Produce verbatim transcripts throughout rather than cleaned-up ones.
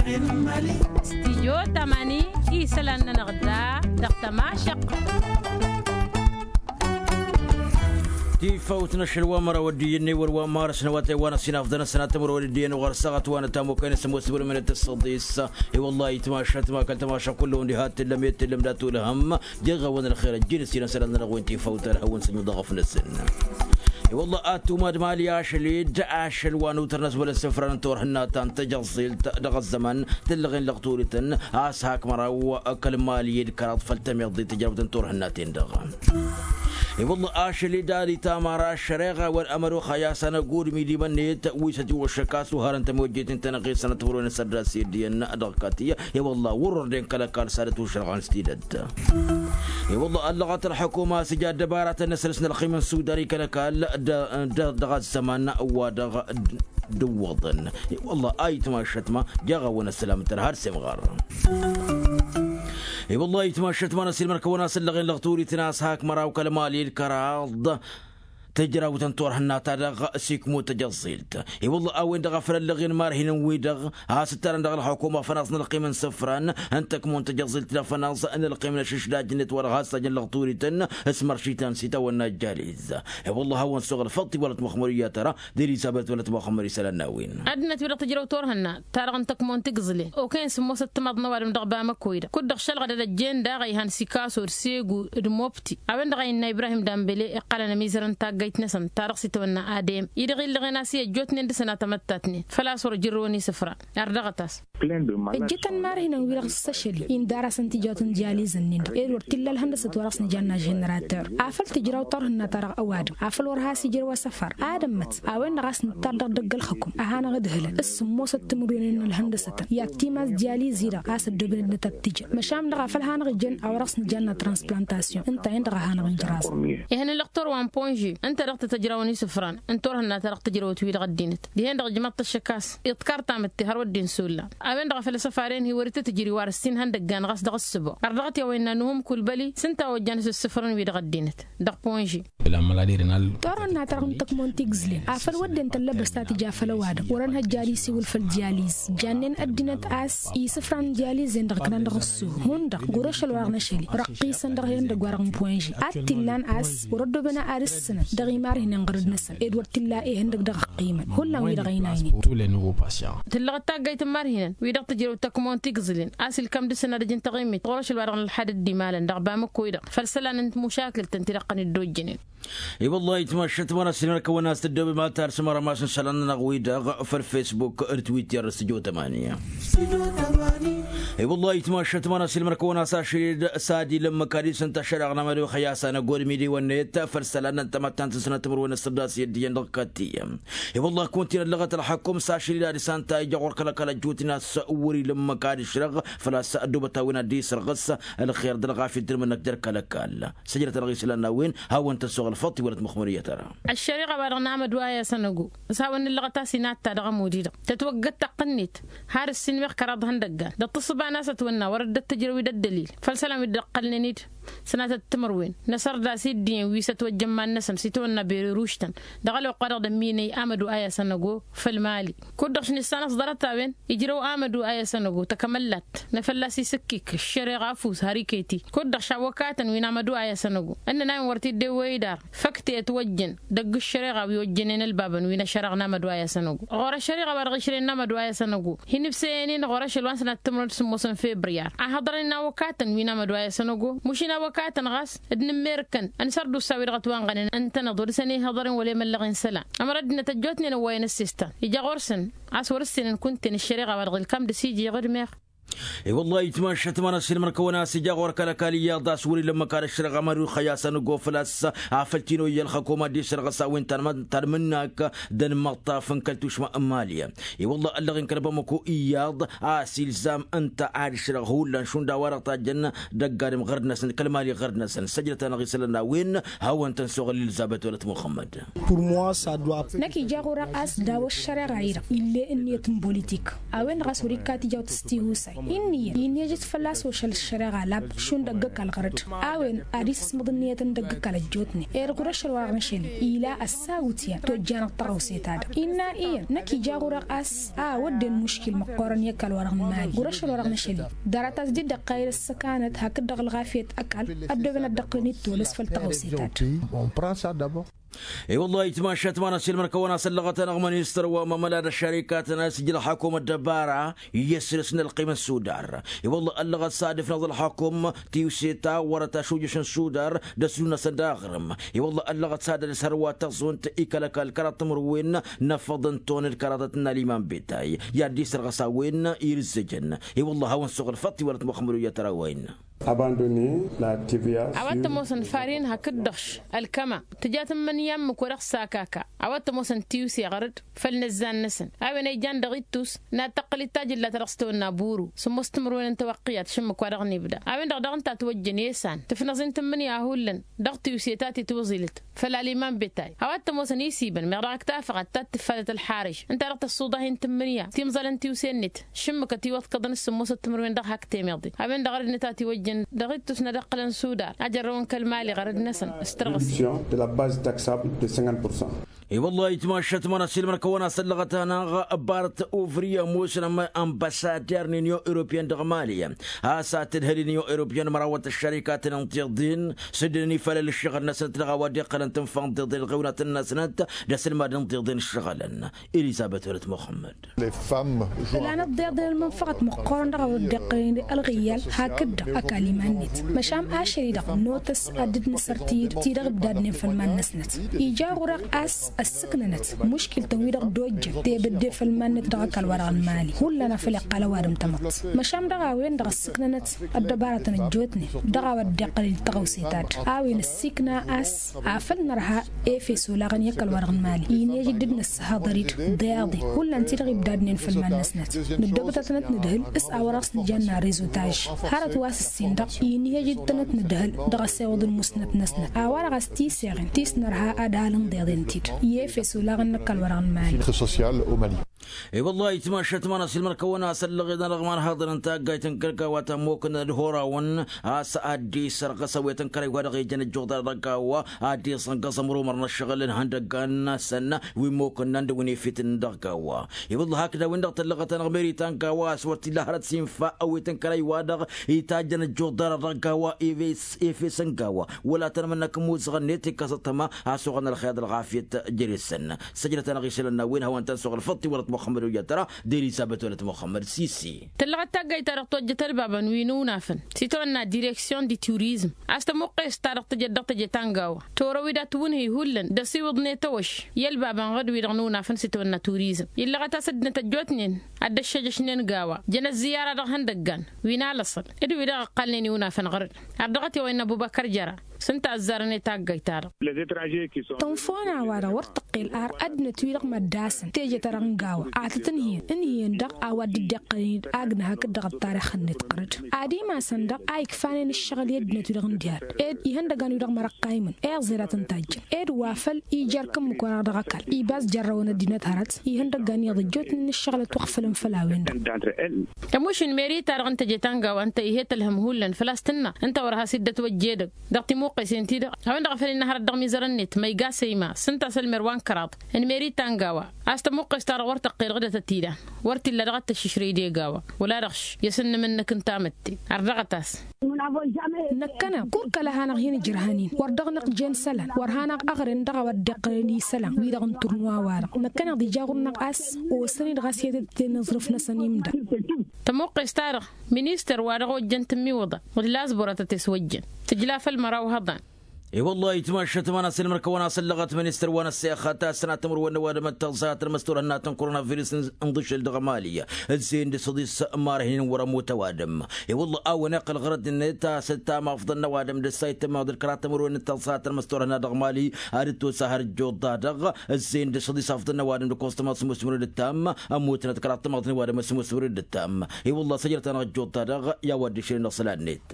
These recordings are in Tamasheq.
Stijyo tamani isălan-nănăɣ da dăɣ-tămašăq. Tifawt n-ašăl wa măraw ăddiyăn n-ewăr wa marăs n-awătay wa n-ăsinafḍăn ăsănat timǝrwen ăddiyăn uɣăr ăssaɣăt wa n-ătamokăyăn s-ămoos timǝrwen d-tăssăḍis. I-wăllah itmašat ma kăl-tămašăq kull-ăwăn diha t-tǝllăm i-t-tǝllăm d-atulhăm. Jeɣ-awăn ălxer ăjjin s-irăn sălan-nănăɣ wen tifawt ălhăwăn s-ănnuḍăɣăf-năsăn. I-wăllah ad-tumad mali ašăl-dd ašăl wa n-utăr n-asbăl n-sǝfra n-turhǝnna ta n-tejăẓẓilt dăɣ-ăzzăman tǝllăɣen lăɣturităn a-s hak măraw kăl-mali d-kăraḍ făll-tămiḍḍit tǝjrăwt n-turhǝnna-ten-dăɣ. I-wăllah ašăl-dd ad-itamar ašăreɣa wăr ămărox a i-asăn ăgudǝm idimăn-net wi s-ătiwăššăk a-s uharăn tămojjet n-tenăɣe sănăt timǝrwen n-săddas i-ăddiyăn dăɣ-kătiyya. I-wăllah wăr-ordăn kăl-ăkall s-ad-ătwăšrăɣăn s-tidăt. I-wăllah ăllăɣăt ălḥukuma a-s ija ăddăbaratăn n-asăl s-nălxim n-sudan i-kăl-ăkall dăɣ-ăzzăman wa dăɣ-dǝwwăḍăn. I-wăllah a itmašăt ma jaɣ-awăn ăssălam tărha d-semɣar. I-wăllah a itmašăt ma n-ăssiilmăr-kăwăn a-s ǝllăɣen lăɣturităn a-s hak măraw kăl-mali d-kăraḍ tǝjrawt n-turhǝnna-ta-dăɣ s-ikmu n-tejăẓẓilt. I-wălla a-wen-dăɣ a făl ăllăɣen marhinăn-wi-dăɣ has-ǝttarăn dăɣ-ălxukuma fănaẓ n-ălqim n-isǝfran n-tăkmu n-tejăẓẓilt d-afănaẓ n-ălqim n-ašǝšdaj-net wa dăɣ-has-tajăn lăɣturităn s-măršităn s-itawănna ăjjaliz. I-wălla a hawăn-suɣ ălfăḍt i-wălăt muxmăr iyyăt ara d-elizabet wălăt muxmăr isălan n-a-wen. Ăddinăt-wi-dăɣ tǝjrăw turhǝnna ta-dăɣ n-tăkmon tigǝzlen okăyăn sǝmmosăt timaḍ n-ăwadǝm dăɣ-bamăkoy-dăɣ kud-dăɣ šălɣădăd ăjjeen daɣ a ihan s-ikaso d-segu d-mobti. A-wen-dăɣ a innă ibrahim dambele iqqălăn ămizărăn taggayt-năsăn ta dăɣ-s itwănna adem-i-dăɣ illăɣen a-s i-ăjjootnen d-sănatămăttatnen făl-a-s wăr-ǝjrǝwăn isǝfra. Ardăɣăt-as. Ǝjjǝtăn marhinăn-wi-dăɣ s-ašăl-i indar-asăn tijawt n-diyalizăn-nin-dăɣ ed wăr t-illa ălhăndăsăt wa dăɣ-s nǝjanna ženerater afăl tǝjraw turhǝnna-ta-dăɣ ăwadǝm afăl wăr has-ijrăw asăfar. Ad-ămmăt a-wen-dăɣ a-s nǝttar dăɣ-idăgg ălxǝkum a hanăɣ-ǝdhǝlăn s-sǝmmosăt timǝrwen n-ălhăndăsătăn i-ad-timas diyaliz-i-dăɣ a-s ăddoobnen-dăt ad-t-ǝjăn măšan dăɣ-a făl hanăɣ-ǝjăn a-wa dăɣ-s nǝjanna transplantasyon ǝnta-en-dăɣ a hanăɣ-injraẓ. Ihăn n-lăqtor wa n-ponže ǝnta dăɣ-tăt-ăjrawăn isǝfran n-turhǝnna ta dăɣ-tǝjrăwăt-wi-dăɣ ăddinăt dihen-dăɣ ǝjmăḍ-t ăššăk a-s iḍkar tamǝtte har wădden s-ollan. A-wen-dăɣ a făl asăfaren hi-wăr-ităt-ǝjri wa răssin ihăndăggan ɣas dăɣ-ǝssǝbo ărdăɣăt i-a-wa innă nuhum kulbăli s-ǝnta a ojjan s-ǝssǝfrăn-wi-dăɣ ăddinăt dăɣ-ponže. Turhǝnna-ta-dăɣ n-tăkmon tigǝzlen afăl wădden tăllăbăs ta tǝja făll-ăwadǝm wăr-ănhăjja ad-isiwǝl făll-diyaliz jannen ăddinăt a-s isǝfran n-diyaliz-en-dăɣ ǝknan dăɣ-ǝssuh hundăɣ ɣur-ašăl wa dăɣ-năšăl-i răqqisăn dăɣ-hen-dăgg wa dăɣ-n ponže ad-t-illan a-s wăr-ăddooben ad-ǝssǝnăn dăɣ-imarhǝnen ɣărăd-năsăn ed wăr t-illa ihăndăg dăɣ-ăqqiimăn hullan wi-dăɣ ăynaynen. Tǝllăɣăt taggayt n-imarhǝnen wi-dăɣ tǝjrăw tăkmon tigǝzlen a-s ilkam dăr-săn ad-ǝjǝn taɣimit ɣur-ašăl wa dăɣ-nălḥadăt d-imalăn dăɣ-bamăk kăwăy-dăɣ făll-isălan n-timušakǝlt ǝnta-i-dăɣ ăqqăn dd-ojjănen. I-wăllah itmašat ma n-asilmăr kăwăn-as-tǝddobem ad-tarsǝm arămas n-isălan-nănăɣ-wi-dăɣ făll-fesbuk d-twitter d-sǝjo tămani. I-wăllah itmašat ma n-asilmăr kăwăn-as ašăl-dd s-ad-ilǝmmǝk ad-isǝnta šăreɣ n-amădux i-asanăgod midiwăn-net făll-isălan n-tamăttant n-sănăt timǝrwen ăssăddas i-ăddiyăn dăɣ-kăttiyăm. I-wăllah kuntinăt lăɣăt ălxăkum s-ašăl-dd ad-isanta ija ɣur-kăl-ăkall ăjjootnen a-s wăr-ilǝmmǝk ad-išrăɣ făl-a-s ăddoobăt a-wen ad-dd-isrăɣ s-ălxer d-ălɣafyăt d-ǝlmǝnăk jer-kăl-ăkall. Săjdăt-anăɣ isălan n-a-wen hawăn-tăn-suɣ ălfăḍt i-wălăt măxmăr iyyăt ara. Ăššăriɣa wa dăɣ-namădu a i-asăn ăgo s-hawăn-nǝllăɣăt a-s inatta dăɣ-ămud-i-dăɣ tătwăggăt taqqǝnnit har ǝssin meɣ kăraḍ ihăndăggan d-ăṭṭǝṣṣǝba n-a-s ătwănna wăr dd-ăttǝjrăw-dd ăddălil făll-isălan wi dd-ăqqălnen-dd sănatăt timǝrwen n-asărdas i-dd-iyyăn wi s-ătwăjjăn iman-năsăn s-itwănna bereruštăn dăɣ-ălwăqq-wa-dăɣ d-ămminăy amădu a i-asăn ăgo făll-mali. Kud-dăɣ š-nǝssanăẓ ḍarăt-a-wen ijrăw amădu a i-asăn ăgo takămăllat n-afălla s-isǝkkik ăššăreɣa afus har iket-i kud-dăɣ šawwăkatăn wi n-amădu a i-asăn ăgo ǝnnăn a-wen wăr t-dd-ewwăy idar făk ti ătwăjjăn dăgg-ăššăreɣa wi ojjănen ălbabăn wi n-ašăreɣ n-amădu a i-asăn ăgo ɣur-ăššăreɣa wa dăɣ-išrăyăn n-amădu a i-asăn ăgo hin-ibsăyăn-in ɣur-ašăl wa n-sănat timǝrwen d-sǝmmos n-febriyar a hăḍrăyăn n-awăkatăn wi n-amădu a i-asăn ăgo mušin awăkatăn ɣas d-inǝmmerǝkăn ănsa ărdus a-wi dăɣ-ătwanɣănen ǝntăneḍ wăr dăr-săn ihăḍăren wăla emăllăɣen isălan ămăra ăddinăt ăjjootnen ăwwayăn ăssestan ija ɣur-săn a-s wăr-ǝssenăn kunta-en ăššăreɣa wa dăɣ-ilkam d-asǝjjeɣ d-meɣ. I-wăllah itmašat ma n-asǝlmăr-kăwăn a-s ija ɣur-kăl-ăkall iyyăḍ a-s wăr-ilǝmmǝk ad-ăšrăɣ amădux i-asăn ăgo făl-a-s afăl t-in-oyya ălxăkom ad-dd-isrăɣ s-a-wen ta n-mǝnnak d-anmăṭṭaf n-kăl-tušma n-mali. I-wăllah ăllăɣen kăl-bamăko iyyăḍ a-s ilzam ǝnta ad-išrăɣ hullan šund a-wa-dăɣ tajjăn dăgg-adǝm ɣărd-năsăn kăl-mali ɣărd-năsăn săjdăt-anăɣ isălan n-a-wen. Hawăn-tăn-suɣǝl elizabet wălăt muxămmăd. Năkk ija ɣur-eɣ a-s daw-ăššăreɣa-i-dăɣ ill'-e ǝnniyăt n-bolitik a-wen-dăɣ a-s wăr-ikka tijawt s-tihusay Inniyăn innejăt fălla-s ošăl ăššăreɣa lab šund ăgg-ăkall ɣăr-dd a-wen ad-isǝsmăḍ ǝnniyătăn d-ăgg-ăkall ăjjootnen. Ed ɣur-ašăl wa dăɣ-năšăl ila ăssawǝtyan tojjanăɣ tăɣawse-ta-dăɣ innă iyyăn năkk ija ɣur-eɣ a-s a wădden muškil măqqoorăn i-ăkall wa dăɣ-nǝmali ɣur-ašăl wa dăɣ-năšăl. Ḍarăt-as dd-iddăqqayăd ăssăkanăt hakd-dăɣ ălɣafyăt ăkall ăddooben ad-dd-ăqqǝlăn itolăs făll-tăɣawse-ta-dăɣ. I-wălla-hi tmašat ma n-asilmăn kăwăn-asăllăɣăt-anăɣ ministăr wa mămăla d-ăššărikatăn a-s ija ălxakum ăddăbara iyyăs dăr-s n-ălqim n-sudar. I-wălla ăllăɣăt s-ad-ǝfnăẓ ălxakum tiwse ta wărăt ašujjăš n-sudar d-ăslu-năsăn d-aɣrǝm. I-wălla ăllăɣăt s-ad-ălǝs hărwa tăẓunt ikăl ăkall kăraḍ timǝrwen n-afăḍ n-ton d-kăraḍăt n-aliman betay i-ad-dd-isărɣăs a-wen irǝzzăjăn. I-wălla a hawăn-suɣǝl făṭṭ iwălăt muxămmăd wi jăt tărawăyăn. Abandonner la tva. A-wa t-ămoosăn farin hakd-dăɣ š-ălkăma tǝja tǝmmǝnǝya ǝmmǝk wa dăɣ-s akaka. A-wa t-ămoosăn tiwse ɣăr-dd făll-inǝzzan-năsăn a-wen a ijan dăɣ-ittus n-ad-tăqqǝl d-tajǝlla ta dăɣ-s tăwănna buru sǝmmos timǝrwen n-tawăqqǝyat šǝmmǝk wa dăɣ-nibda a-wen-dăɣ daɣ ǝnta a ǝtwăjjăn i-isan tǝfnăẓ-in tǝmmǝnǝya hullan dăɣ-tiwse ta t-itwǝẓilăt făll-aliman betay. A-wa t-ămoosăn isibăn meɣ dăɣ-ăktafăɣăt ta t-tǝffatăt ălxarǝž ǝnta-dăɣ tăssuḍah-in tǝmmǝnǝya timẓălăn tiwse-net šǝmmǝkăt iwăḍkăḍăn s-sǝmmosăt timǝrwen dăɣ-hak temeḍe. A-wen-dăɣ ărǝdnăt a ătiwăjjăn dăɣ-ittus n-ad-ǝqqǝlăn sudar a jărrăwăn kăl-mali ɣărăd-năsăn s-tărɣǝs. De la base taxable de cinquante pour cent. I-wălla-hi tmašat ma n-asilmăn kăwăn-asăllăɣăt-anăɣ bart uvriya ămoosăn ămbăsader n-inyon europyen dăɣ-mali a-s ad-tǝdhǝl inyon europyen mărawăt ăššărikatăn n-tiḍen s-dd-ănifalăl ǝššăɣǝl-năsnăt dăɣ-a-wa dd-iqqălăn tǝnfa n-tiḍen ălɣiwnatăn-năsnăt d-asǝlmad n-tiḍen ǝššăɣǝlăn. Elizăbet wălăt muxămmăd. Ǝlanăt tiḍen ălmănfăɣăt măqqoorăn dăɣ-a-wa dd-iqqălăn ălɣiyyal hakd-dăɣ ăkall iman-net. Măšan ašăl-i-dăɣ notăs ad-dd-nǝsăr ti-dăɣ ǝbdadnen făll-iman-năsnăt. Ija ɣur-eɣ a-s ăssǝknănăt muškil-tăn wi-dăɣ dd-ojjăn tebădde făll-iman-net dăɣ-ăkall wa dăɣ-nǝmali hullan a făl iqqal ăwadǝm tamăḍt. Măšan dăɣ-a-wen-dăɣ ăssǝknănăt ăddăbarătăn ăjjootnen dăɣ-a-wa dd-iqqălăn tăɣawse-ta-dd a-wen ăssiikna a-s afăl nărha efes olaɣăn i-ăkall wa dăɣ-nǝmali. Inhej dd-nǝssăhăḍăr-dd deḍe hullan ti-dăɣ ibdadnen făll-iman-năsnăt. Nǝddobăt ad-tănăt-nǝdhǝl s-a-wa dăɣ-s nǝjanna rezo tajj hărăt wa s-ǝssin-dăɣ inhej dd-tănăt-nǝdhǝl dăɣ-asewăḍ n-musnăt-năsnăt a-wa-dăɣ a-s tiseɣen ti s-nărha ad-ăhalăn deḍen-t-dd. I-efes olaɣăn n-ăkall wa dăɣ-nǝmali. I-wăllah ayǝtmašat ma n-asǝlmăr kăwăn-asăllăɣ-ed-anăɣ imanhaḍăn n-taggayt n-kăl-gawa ta ămmokăn ad-horawăn a-s ad-dd-isărɣăs ăwwet n-kărăy wa dăɣ-ijăn ăjjuḍa dăɣ-gawa ad-dd-isǝnɣăẓ ămrumăr n-ăššăɣǝl n-ihăndăggan-năsăn wi ămmokăn n-anda wi n-efităn dăɣ-gawa. I-wăllah hakd a-wen-dăɣ tăllăɣăt-anăɣ meri ta n-gawa a-s wăr t-illa hărăt s-infa ăwwet n-kărăy wa dăɣ-itajjăn ăjjuḍa dăɣ-gawa efes n-gawa wăla tăn-mănnăk ămuzăɣ-net ikkăs ăṭṭăma a-s oɣăn ălxeḍ ălɣafyăt jere-săn. Săjdăt-anăɣ isălan n-a-wen hawăn-tăn-suɣǝl făṭṭ iwălăt muxămmăd wi jăt tăra d-elizăbet wălăt muxămmăd sisi. Tăllăɣăt taggayt-ta-dăɣ tojjăt ălbabăn wi n-unafăn s-itwănna direksyon di turizm a-s tămuqqes-ta-dăɣ tǝjăt dăɣ-teje ta n-gawa. Torăw-dd ad-tǝwǝnhǝy hullan d-asiwǝḍ n-etăwăš i-ălbabăn ɣǝd wi-dăɣ n-unafăn s-itwănna turizm illăɣăt-as ăddinăt ăjjootnen ad-dd-ăššăjăšnen gawa. Jăn ăzziyara dăɣ-ihăndăggan wi n-alăṣăl d-wi-dăɣ ǝqqalnen i-unafăn ɣăr-dd. Ar dăɣ-t-i-wăyăn ăbubăkăr jăra s-ǝnta ăzzarăn i-taggayt-ta-dăɣ. Tănfăwăn a-wa-dăɣ wăr tăqqel ar ăddinăt-wi-dăɣ măddasăn teje-ta-dăɣ n-gawa ad-tăt-ǝnhǝyăn ǝnhǝyăn-dăɣ a-wa dd-iqqălăn-dd agna hakd-dăɣ ăttarix-net ɣăr-dd. Ad-imasăn-dăɣ a ikfanen ǝššăɣǝl i-ăddinăt-wi-dăɣ n-diha-dd ed ihăndăgan-wi-dăɣ măra ăqqaymăn. Iẓer ad-tăn-tajjăn ed wa făl ija ărk ǝmmǝk-wa-dăɣ dăɣ-ăkall ibas jărrăwăn ăddinăt hărăt ihăndăggan iyyăḍ ăjjootnen n-ǝššăɣǝlăt wa ăɣfălăn făll-a-wen-dăɣ. Tămušin meri-ta-dăɣ n-teje ta n-gawa ǝnta ih'-e tălhăm hullan făl-a-s tǝnna ǝnta wăr has-dd-ătwăjja edăgg dăɣ-timuqqesen-ti-dăɣ. A-wen-dăɣ a făl innă hărăt dăɣ-imizărăn-net ma iga săyma s-ǝnta a-s ălmer wa n-kăraḍ n-meri ta n-gawa. A-s tămuqqes-ta-dăɣ wăr tăqqel ɣǝdăt ătila wăr t-illa dăɣ-ad-tăššǝšrăy d-e-gawa. Wăla dăɣ-š i-asǝnnǝm-năk n-tamǝtte. Ărdăɣăt-as. Năkkăneḍ kur kăla hanăɣ-hin-ǝjrăhăn-in wăr dăɣ-năɣjen isălan wăr hanăɣ-ăɣren dăɣ-a-wa dd-iqqălăn isălan-wi-dăɣ n-turnuwa-wa-dăɣ. Năkkăneḍ ija ɣur-năɣ a-s osăn-dd ɣas i-ad-tăt-ten aẓrǝf-năsăn imda. Tămuqqes-ta-dăɣ ministăr wa dăɣ-ojjăn tǝmmiwǝḍa d-lazbur a tăt-eswăjjăn tǝjla făll-măraw hăḍan. I-wăllah ayǝtmašat ma n-asǝlmăr kăwăn-asăllăɣăt ministăr wa n-ăssexăt a-s tănat timǝrwen n-ăwadǝm d-taẓẓayăt n-măstorănna tănkurăna virǝs n-dăšel dăɣ-mali. Ǝzzeyăn d-săḍis marhin n-wăr-ămut ăwadǝm. I-wăllah a-wen iqqăl ɣărăt-net a-s ăttam afḍăn n-ăwadǝm d-ăssayt tămmaḍ d-kăraḍ timǝrwen n-taẓẓayăt n-măstorănna dăɣ-mali ad-dd-tosa har ǝjjuḍ-ta-dăɣ. Ǝzzeyăn d-săḍis afḍăn n-ăwadǝm d-kostomăt s-musmǝrǝd ǝttam ămmutnăt kăraḍ tămmaḍ n-ăwadǝm s-musmǝrǝd ǝttam. I-wăllah săjdăt-anăɣ ǝjjuḍ-ta-dăɣ i-a-wa dd-išrǝn isălan-net.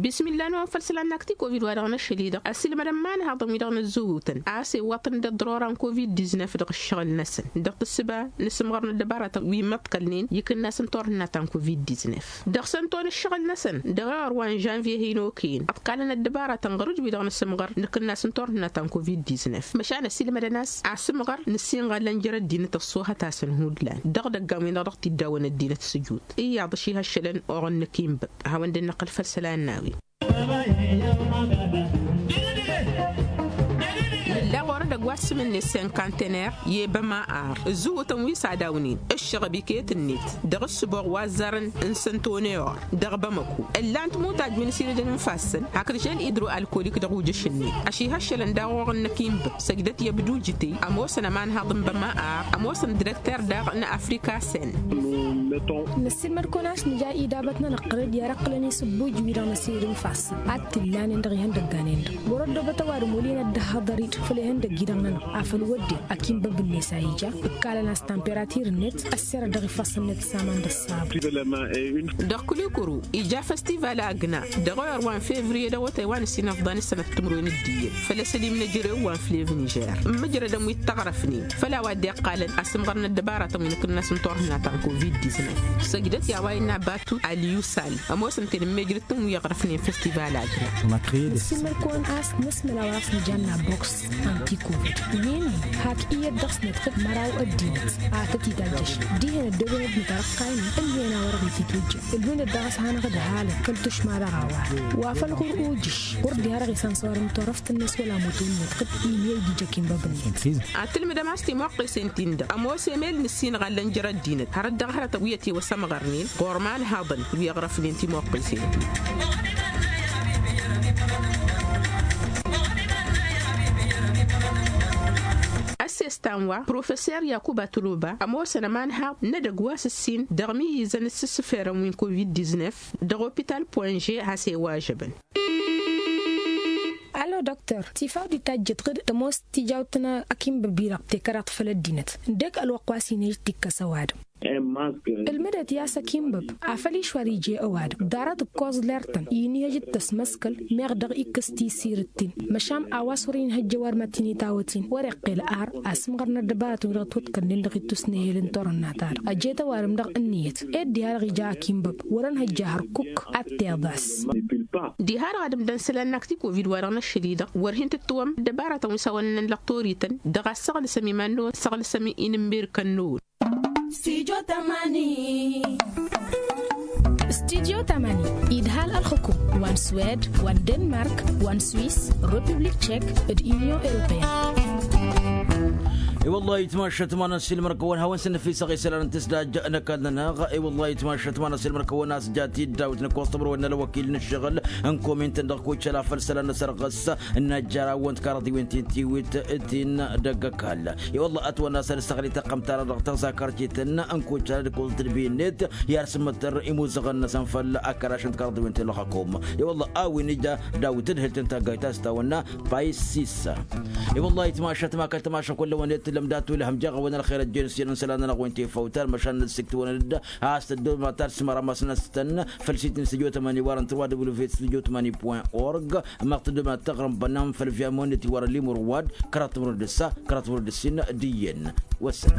Bismillah n-wa n-făll-isălan n-ak ti-covid wa dăɣ-năššăl-i-dăɣ ăsilmădăn imanhaḍăn wi-dăɣ n-ăzzăwutăn a-s iwwăḍ-tăn d-ăḍḍărora n-covid-diznăf dăɣ-ǝššăɣǝl-năsăn dăɣ-tǝssǝba n-asǝmɣăr n-ăddăbaratăn wi măḍkălnen ikǝnnas n-turhǝnna ta n-covid-diznăf dăɣ-săn tonǝššăɣǝl-năsăn dăɣ-ewăr wa n-žănvye hin-okăyăn ǝḍkalăn ăddăbaratăn ɣur-ǝjwi dăɣ-nǝsǝmɣăr n-ikǝnnas n-turhǝnna ta n-covid-diznăf măšan ăsilmădăn a-s asǝmɣăr n-ǝssinɣăllăn jer-ăddinăt ăṣṣoohăt-asăn hullan dăɣ-idăggan-win-dăɣ dăɣ-t-iddawăn ăddinăt s-ǝjut iyyăḍ ăšihăššălăn oɣăn n-ăkinbăb ad-hawăn-dd-năqqǝl făll-isălan n-a-wen. Nǝlla ɣur-edăgg wa s-sǝm-net senkantener i-ebăma ar ǝzzǝwǝtăn wi s-ad-awnen ǝššăɣăb iket-net dăɣ-ǝssǝboɣ wa ăzzarăn n-săntoneor dăɣ-bamăko ǝllan-t mutaj wi n-ǝsiilădăn n-ifassăn hakd žel idro-alkolik dăɣ-ujăš-net ăšihăššălăn daɣ oɣăn n-ăkinbăb săjdăt i-ăbdujǝtey ămoosăn ămanhaḍ n-băma ar ămoosăn direkter daɣ n-afrika sen. Năssiilmăd-kăwăn a-s nǝja idabăt-nănăɣ qărăd i-ad-ăqqǝlăn isǝbbuj-wi-dăɣ năsiilăd n-ifassăn ad-t-illanen dăɣ-ihăndăgganen-dăɣ wăr-ăddoobăt ăwadǝm wăl' inăddăhhăḍ ărit făll-ihăndăgg-i-dăɣ-nănăɣ afăl wădden akǝnbăb-net a ija ǝkkalăn a-s tamperatir-net ăssirăt dăɣ-ifassăn-net s-aman d-ăṣṣabu. Dăɣ-kǝlikǝru ija festival agna dăɣ-ewăr wa n-fevriye dăɣ-otay wa n-ǝssin ăfḍan s-sănăt timǝrwen d-iyyăn făll-asălim n-ejărew wa n-flevnižer n-imǝjrădăn wi t-ăɣrăfnen făll-a-wa dd-iqqalăn asǝmɣăr n-ăddăbaratăn wi n-akǝnnas n-turhǝnna ta n-covid-diznăf săjdăt i-a-wa innă batu aliyusal ămoosăn-ten n-mejrǝt-tăn wi ăɣrăfnen festival agna. Năssiilmăd-kăwăn a-s nǝsmăl a-wa dăɣ-s nǝjanna boks anti-covid wi-nin hak iyyăt dăɣ-s nǝdxǝd măraw ăddinăt ad-tăt-itajjăš dihen ăddooben ăddinăt arăqqaynen ǝnhăyăn a-wa dăɣ-ititwǝjjăn ǝlhǝyăn-dd dăɣ-s hanăɣ-ădhalăn făll-tušma dăɣ-a-wa wa făl ɣur-ujǝš ɣur-diha dăɣ-isăn s-orăm turăft-net wăla mutun-net qǝd inhăy d-ija kinbăb-net. Ad-tǝlmǝdăm a-s timoqqesen-tin-dăɣ ămoos emel n-ǝssin ɣallăn jer-ăddinăt hărăt dăɣ-hărătăn wi ătiwăsămɣărnen ɣur-imanhaḍăn wi ăɣrăfnen timoqqesen-tin. Ăssestan wa professer yakuba tuluba ămoosăn ămanhaḍ n-edăgg wa s-ǝssin dăɣ-imǝyyǝzăn s-ǝssǝferăn wi n-covid-diznăf dăɣ-opital poinže has-e-wa ăžăbăn. Allo dăktor tifaw d-itajjăt ɣǝd tămoos tijawt n-akǝnbăb-i-dăɣ tekăraḍt făll-ăddinăt ǝndek ălwăqq wa s-inhăj tikkăs ăwadǝm. Ǝlmǝdăt i-a-s akǝnbăb afăl išwar ije ăwadǝm ḍarăt ǝkkoẓ ler-tăn inhăj d-tăsmăskăl meɣ dăɣ-ikkǝs tisirǝt-tin măšan a-wa s-wăr-inhăjja ăwadǝm ad-t-in-itawăt-in wăr-iqqel ar asǝmɣăr n-ăddăbaratăn wi dăɣ-t-wătkălnen dăɣ-ittus n-ehel n-turhǝnna-ta-dăɣ ăjjăt ăwadǝm-dăɣ ǝnniyăt ed diha-dăɣ ija akǝnbăb wăr-ănhăjja hărkuk ad-t-iḍas. Diha-dăɣ ad-ǝmdăn isălan n-ak ti-covid wa dăɣ-năššăl-i-dăɣ wăr hin-tǝttǝwăm ăddăbaratăn wi s-hawăn-ǝnnăn lăqtor-ităn dăɣ-ad-săɣlǝsăm iman-năwăn săɣlǝsăm-i n-ǝmmirǝkăn-năwăn. Studio tamani idhal ălxǝkum wa n-swed wa n-denmark wa n-swis, republik tšek, d-union europeyăn. I-wăllah ayǝtmašat ma n-ăssiilmăr-kăwăn hawăn-săn năfisăɣ isălan n-tǝsdaj n-ăkall-nănăɣ. I-wăllah ayǝtmašat ma n-ăssiilmăr-kăwăn a-s jat-dd dawǝt n-ăkkoẓ tămrăwen n-ălwăkil n-ǝššăɣǝl n-komint-tăn dăɣ-kucăla făll-isălan n-asărɣǝs n-ajjar a wăn-t karaḍiwen ti n-tiwit ti n-dăgg-ăkall. I-wălla ătwănna s-ad-ǝssăɣli tăqqăm-ta-dăɣ dăɣ-tăẓakărcităn n-kucăla d-ǝkkoẓ tǝdbiyăn-net i-ad-sǝmmăttăr imuzăɣăn-năsăn făll-akăraš n-tikărăḍiwen ti n-ălxăkum. I-wălla a-wen ija dawit tǝdhǝlt n-taggayt a-s tawănna payis sissa. I-wălla ayǝtmašat ma kăl-tamaša kull-ăwăn i-tǝllăm dat-ulhăm jeɣ-awăn ălxer ăjjeen s-iyyăn n-isălan-nănăɣ wi n-tifawt almăšan n-ǝssiktiwăn-dd a-s tăddomat ad-sǝmăramasnăs-tăn făll-sit n-studio tămani wa dăɣ-n tărwa www studio tămani point org. Măɣ tăddomat taɣrǝm-bănnan făll-viamonit wa dăɣ-limur wad kăraḍ timrăw d-ǝssa kăraḍ timrăw d-ǝssin d-iyyăn. Wăssan.